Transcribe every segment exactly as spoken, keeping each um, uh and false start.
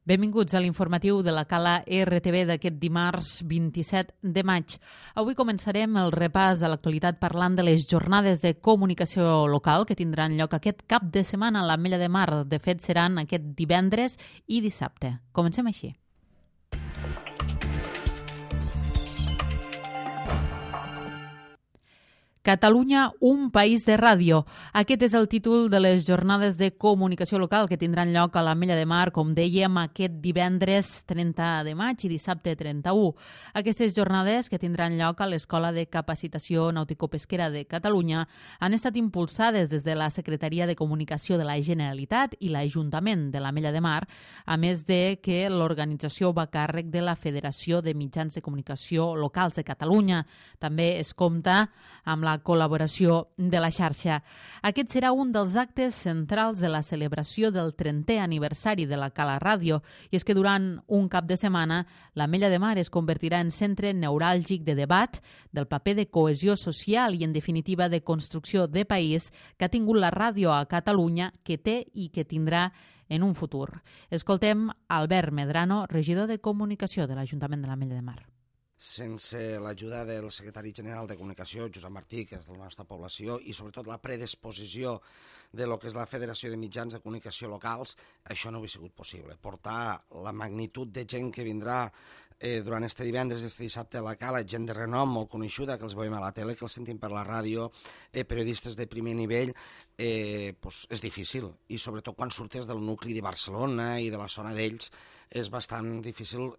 Benvinguts a l'informatiu de la Cala R T V d'aquest dimarts vint-i-set de maig. Avui començarem el repàs de l'actualitat parlant de les jornades de comunicació local que tindran lloc aquest cap de setmana a l'Ametlla de Mar. De fet, seran aquest divendres i dissabte. Comencem així. Catalunya, un país de ràdio. Aquest és el títol de les jornades de comunicació local que tindran lloc a l'Ametlla de Mar, com dèiem, aquest divendres trenta de maig i dissabte trenta-u. Aquestes jornades, que tindran lloc a l'Escola de Capacitació Nàutico-Pesquera de Catalunya, han estat impulsades des de la Secretaria de Comunicació de la Generalitat i l'Ajuntament de l'Ametlla de Mar, a més de que l'organització va a càrrec de la Federació de Mitjans de Comunicació Locals de Catalunya. També es compta amb la col·laboració de la xarxa. Aquest serà un dels actes centrals de la celebració del trentè aniversari de la Cala Ràdio, i és que durant un cap de setmana l'Ametlla de Mar es convertirà en centre neuràlgic de debat, del paper de cohesió social i, en definitiva, de construcció de país que ha tingut la ràdio a Catalunya, que té i que tindrà en un futur. Escoltem Albert Medrano, regidor de Comunicació de l'Ajuntament de l'Ametlla de Mar. Sense l'ajuda del secretari general de Comunicació, Josep Martí, que és de la nostra població, i sobretot la predisposició de lo que és la Federació de Mitjans de Comunicació Locals, això no hauria sigut possible. Portar la magnitud de gent que vindrà eh, durant este divendres i este dissabte a la Cala, gent de renom molt coneixuda, que els veiem a la tele, que els sentim per la ràdio, eh, periodistes de primer nivell, eh, pues és difícil. I sobretot quan surtes del nucli de Barcelona i de la zona d'ells, és bastant difícil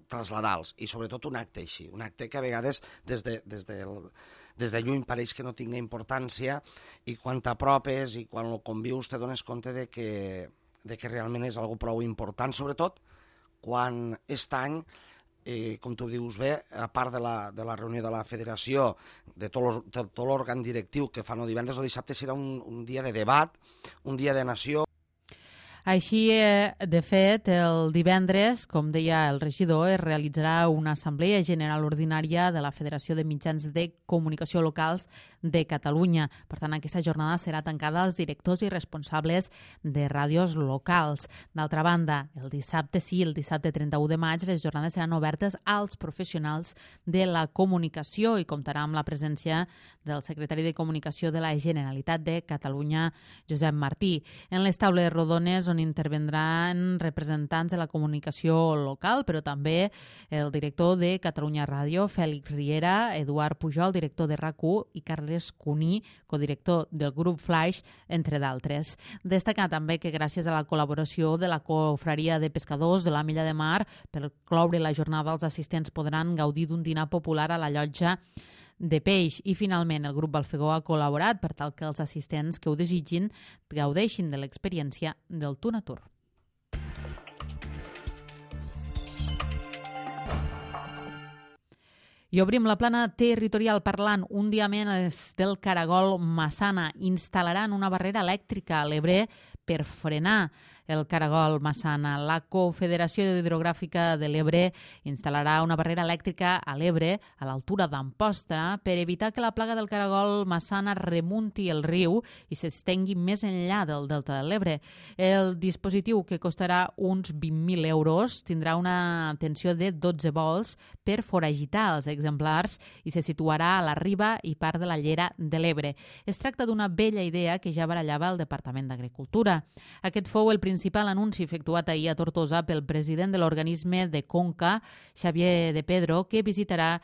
traslladar-los, i sobretot un acte així, un acte que a vegades des de, des de, des de lluny pareix que no tinga importància, i quan t'apropes i quan ho convius te dones compte de que, de que realment és algo prou important, sobretot quan aquest any, eh, com tu dius bé, a part de la, de la reunió de la federació, de tot, tot l'òrgan directiu que fan el divendres o dissabte, serà un, un dia de debat, un dia de nació. Així, de fet, el divendres, com deia el regidor, es realitzarà una assemblea general ordinària de la Federació de Mitjans de Comunicació Locals de Catalunya. Per tant, aquesta jornada serà tancada als directors i responsables de ràdios locals. D'altra banda, el dissabte sí, el dissabte trenta-u de maig, les jornades seran obertes als professionals de la comunicació i comptarà amb la presència del secretari de Comunicació de la Generalitat de Catalunya, Josep Martí. En les taules rodones, on intervendran representants de la comunicació local, però també el director de Catalunya Ràdio, Fèlix Riera, Eduard Pujol, director de RAC u, i Carles Cuní, codirector del grup Flaix, entre d'altres. Destacar també que gràcies a la col·laboració de la Confraria de Pescadors de l'Ametlla de Mar, per cloure la jornada, els assistents podran gaudir d'un dinar popular a la llotja de peix. I finalment el grup Balfegó ha col·laborat per tal que els assistents que ho desitgin gaudeixin de l'experiència del Tuna Tour. I obrim la plana territorial parlant un dia més del caragol Massana. Instal·laran una barrera elèctrica a l'Ebre per frenar el caragol Massana. La Confederació Hidrogràfica de l'Ebre instal·larà una barrera elèctrica a l'Ebre, a l'altura d'Amposta, per evitar que la plaga del caragol Massana remunti el riu i s'estengui més enllà del delta de l'Ebre. El dispositiu, que costarà uns vint mil euros, tindrà una tensió de dotze volts per foragitar els exemplars i se situarà a la riba i part de la llera de l'Ebre. Es tracta d'una vella idea que ja barallava el Departament d'Agricultura. Aquest fou el principal anunci efectuat ahir a Tortosa pel president de l'organisme de Conca, Xavier de Pedro, que visitarà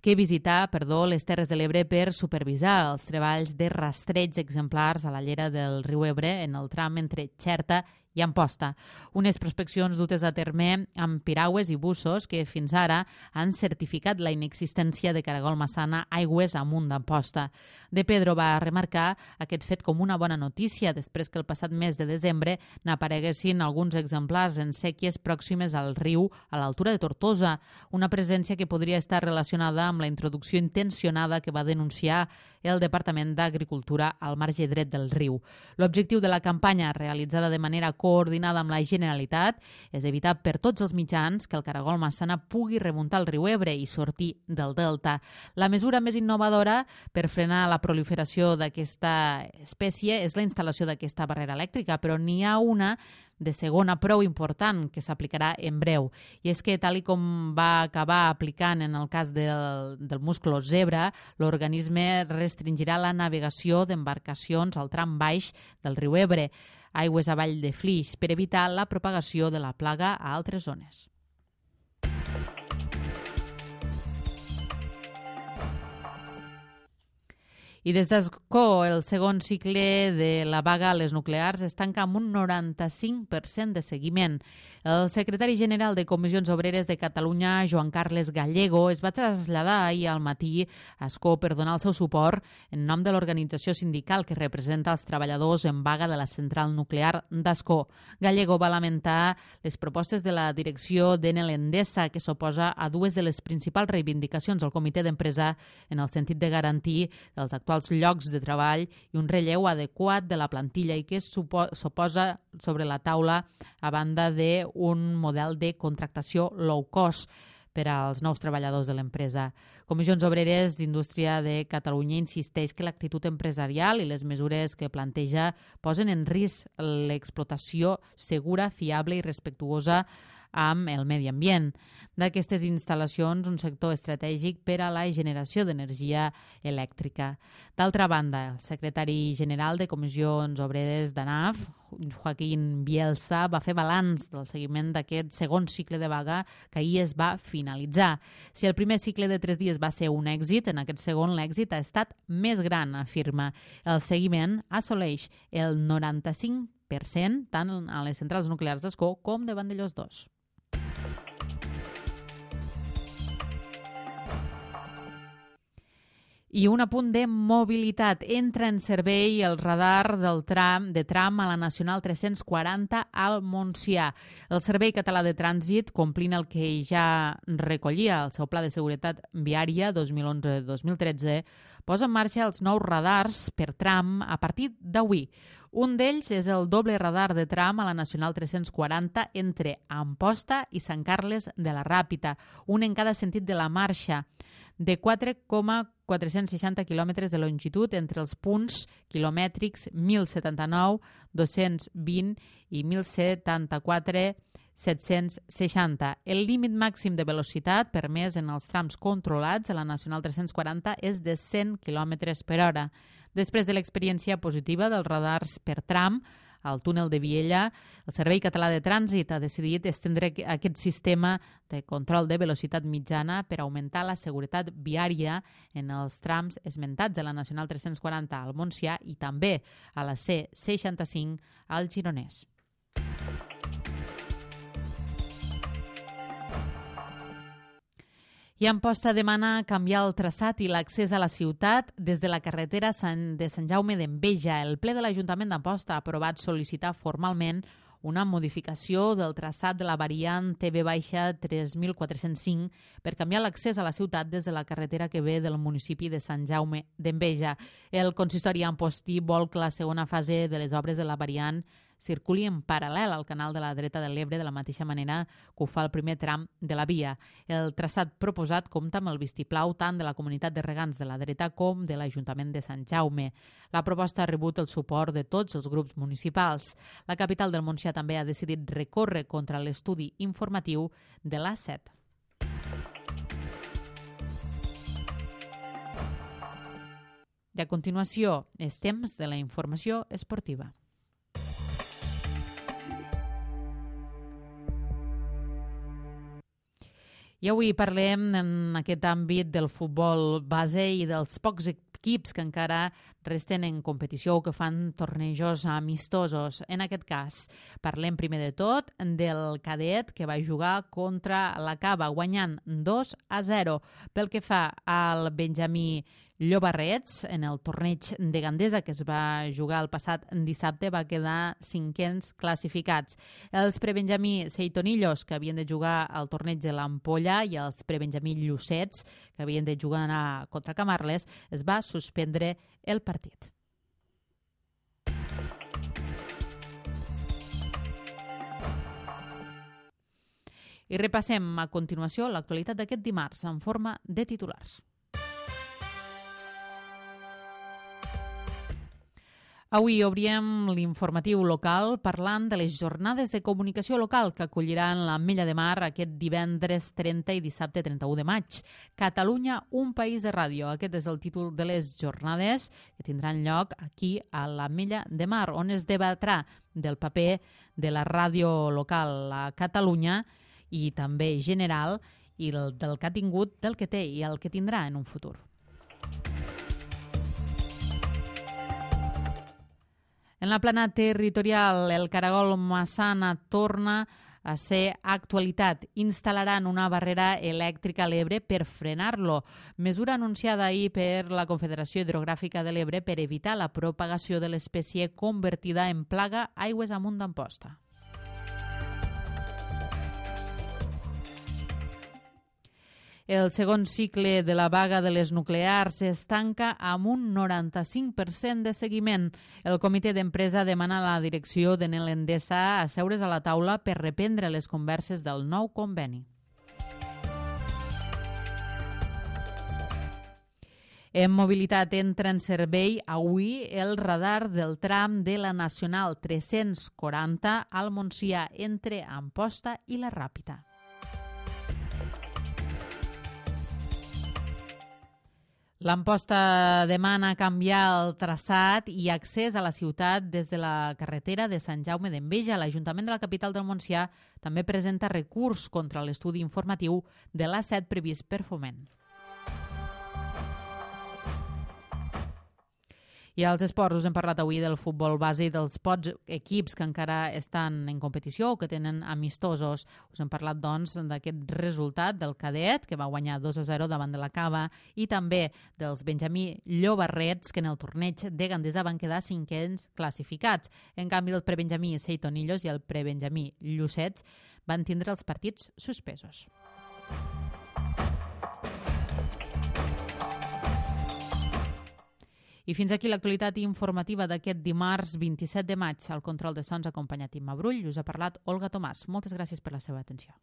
que visità perdó, les Terres de l'Ebre per supervisar els treballs de rastreig exemplars a la llera del riu Ebre en el tram entre Xerta i Amposta. Unes prospeccions dutes a terme amb piragües i bussos que fins ara han certificat la inexistència de caragol Massana aigües amunt d'Amposta. De Pedro va remarcar aquest fet com una bona notícia després que el passat mes de desembre n'apareguessin alguns exemplars en sèquies pròximes al riu a l'altura de Tortosa, una presència que podria estar relacionada amb la introducció intencionada que va denunciar el Departament d'Agricultura al marge dret del riu. L'objectiu de la campanya, realitzada de manera coordinada amb la Generalitat, és evitar per tots els mitjans que el caragol Massana pugui remuntar el riu Ebre i sortir del delta. La mesura més innovadora per frenar la proliferació d'aquesta espècie és la instal·lació d'aquesta barrera elèctrica, però n'hi ha una de segona prou important que s'aplicarà en breu. I és que, tal i com va acabar aplicant en el cas del, del musclo zebra, l'organisme restringirà la navegació d'embarcacions al tram baix del riu Ebre, aigües avall de Flix, per evitar la propagació de la plaga a altres zones. I des d'Escó, el segon cicle de la vaga a les nuclears es tanca amb un noranta-cinc per cent de seguiment. El secretari general de Comissions Obreres de Catalunya, Joan Carles Gallego, es va traslladar ahir al matí a Escó per donar el seu suport en nom de l'organització sindical que representa els treballadors en vaga de la central nuclear d'Escó. Gallego va lamentar les propostes de la direcció d'Enel Endesa, que s'oposa a dues de les principals reivindicacions del comitè d'empresa en el sentit de garantir els actuals els llocs de treball i un relleu adequat de la plantilla i que s'oposa sobre la taula a banda d'un model de contractació low cost per als nous treballadors de l'empresa. Comissions Obreres d'Indústria de Catalunya insisteix que l'actitud empresarial i les mesures que planteja posen en risc l'explotació segura, fiable i respectuosa amb el medi ambient. D'aquestes instal·lacions, un sector estratègic per a la generació d'energia elèctrica. D'altra banda, el secretari general de Comissions Obreres d'ANAF, Joaquín Bielsa, va fer balanç del seguiment d'aquest segon cicle de vaga que ahir es va finalitzar. Si el primer cicle de tres dies va ser un èxit, en aquest segon l'èxit ha estat més gran, afirma. El seguiment assoleix el noranta-cinc per cent tant a les centrals nuclears d'Escó com de Vandellòs dos. I un apunt de mobilitat. Entra en servei el radar del tram de tram a la Nacional tres-cents quaranta al Montsià. El Servei Català de Trànsit, complint el que ja recollia el seu Pla de Seguretat Viària dos mil onze dos mil tretze, posa en marxa els nous radars per tram a partir d'avui. Un d'ells és el doble radar de tram a la Nacional tres-cents quaranta entre Amposta i Sant Carles de la Ràpita, un en cada sentit de la marxa, de quatre coma quatre-cents seixanta quilòmetres de longitud entre els punts quilomètrics mil setanta-nou, dos-cents vint i mil setanta-quatre, set-cents seixanta. El límit màxim de velocitat permès en els trams controlats a la Nacional tres-cents quaranta és de cent quilòmetres per hora. Després de l'experiència positiva dels radars per tram al túnel de Viella, el Servei Català de Trànsit ha decidit estendre aquest sistema de control de velocitat mitjana per augmentar la seguretat viària en els trams esmentats de la Nacional tres-cents quaranta al Montsià i també a la C seixanta-cinc al Gironès. I Amposta demana canviar el traçat i l'accés a la ciutat des de la carretera de Sant Jaume d'Enveja. El ple de l'Ajuntament d'Amposta ha aprovat sol·licitar formalment una modificació del traçat de la variant T V tres mil quatre-cents cinc per canviar l'accés a la ciutat des de la carretera que ve del municipi de Sant Jaume d'Enveja. El consistori ampostí vol que la segona fase de les obres de la variant circuli en paral·lel al canal de la dreta de l'Ebre de la mateixa manera que ho fa el primer tram de la via. El traçat proposat compta amb el vistiplau tant de la comunitat de regants de la dreta com de l'Ajuntament de Sant Jaume. La proposta ha rebut el suport de tots els grups municipals. La capital del Montsià també ha decidit recórrer contra l'estudi informatiu de l'A set. I a continuació, és temps de la informació esportiva. I avui parlem en aquest àmbit del futbol base i dels pocs equips que encara resten en competició o que fan tornejos amistosos. En aquest cas, parlem primer de tot del cadet que va jugar contra la Cava, guanyant dos a zero. Pel que fa al Benjamí Llobarrets, en el torneig de Gandesa que es va jugar el passat dissabte, va quedar cinquens classificats. Els prebenjamí Seitonillos, que havien de jugar al torneig de l'Ampolla, i els prebenjamí Llucets, que havien de jugar contra Camarles, es va suspendre el partit. I repassem a continuació l'actualitat d'aquest dimarts en forma de titulars. Avui obríem l'informatiu local parlant de les jornades de comunicació local que acolliran l'Ametlla de Mar aquest divendres trenta i dissabte trenta-u de maig. Catalunya, un país de ràdio. Aquest és el títol de les jornades que tindran lloc aquí a l'Ametlla de Mar, on es debatrà del paper de la ràdio local a Catalunya i també general i del que ha tingut, del que té i el que tindrà en un futur. En la plana territorial, el caragol Massana torna a ser actualitat. Instal·laran una barrera elèctrica a l'Ebre per frenar-lo. Mesura anunciada ahir per la Confederació Hidrogràfica de l'Ebre per evitar la propagació de l'espècie convertida en plaga aigües amunt d'Amposta. El segon cicle de la vaga de les nuclears es tanca amb un noranta-cinc per cent de seguiment. El comitè d'empresa demana a la direcció d'Enel Endesa asseure's a la taula per reprendre les converses del nou conveni. En mobilitat entra en servei avui el radar del tram de la Nacional tres-cents quaranta al Montsià entre Amposta i la Ràpita. L'Amposta demana canviar el traçat i accés a la ciutat des de la carretera de Sant Jaume d'Enveja. L'Ajuntament de la capital del Montsià també presenta recurs contra l'estudi informatiu de l'A set previst per Foment. I als esports us hem parlat avui del futbol base i dels pocs equips que encara estan en competició o que tenen amistosos. Us hem parlat, doncs, d'aquest resultat del cadet, que va guanyar dos a zero davant de la Cava, i també dels Benjamí Llobarrets, que en el torneig de Gandesa van quedar cinquens classificats. En canvi, el prebenjamí Seitonillos i el prebenjamí Llucets van tindre els partits suspesos. I fins aquí l'actualitat informativa d'aquest dimarts vint-i-set de maig. Al control de sons acompanyat Imma Brull, us ha parlat Olga Tomàs. Moltes gràcies per la seva atenció.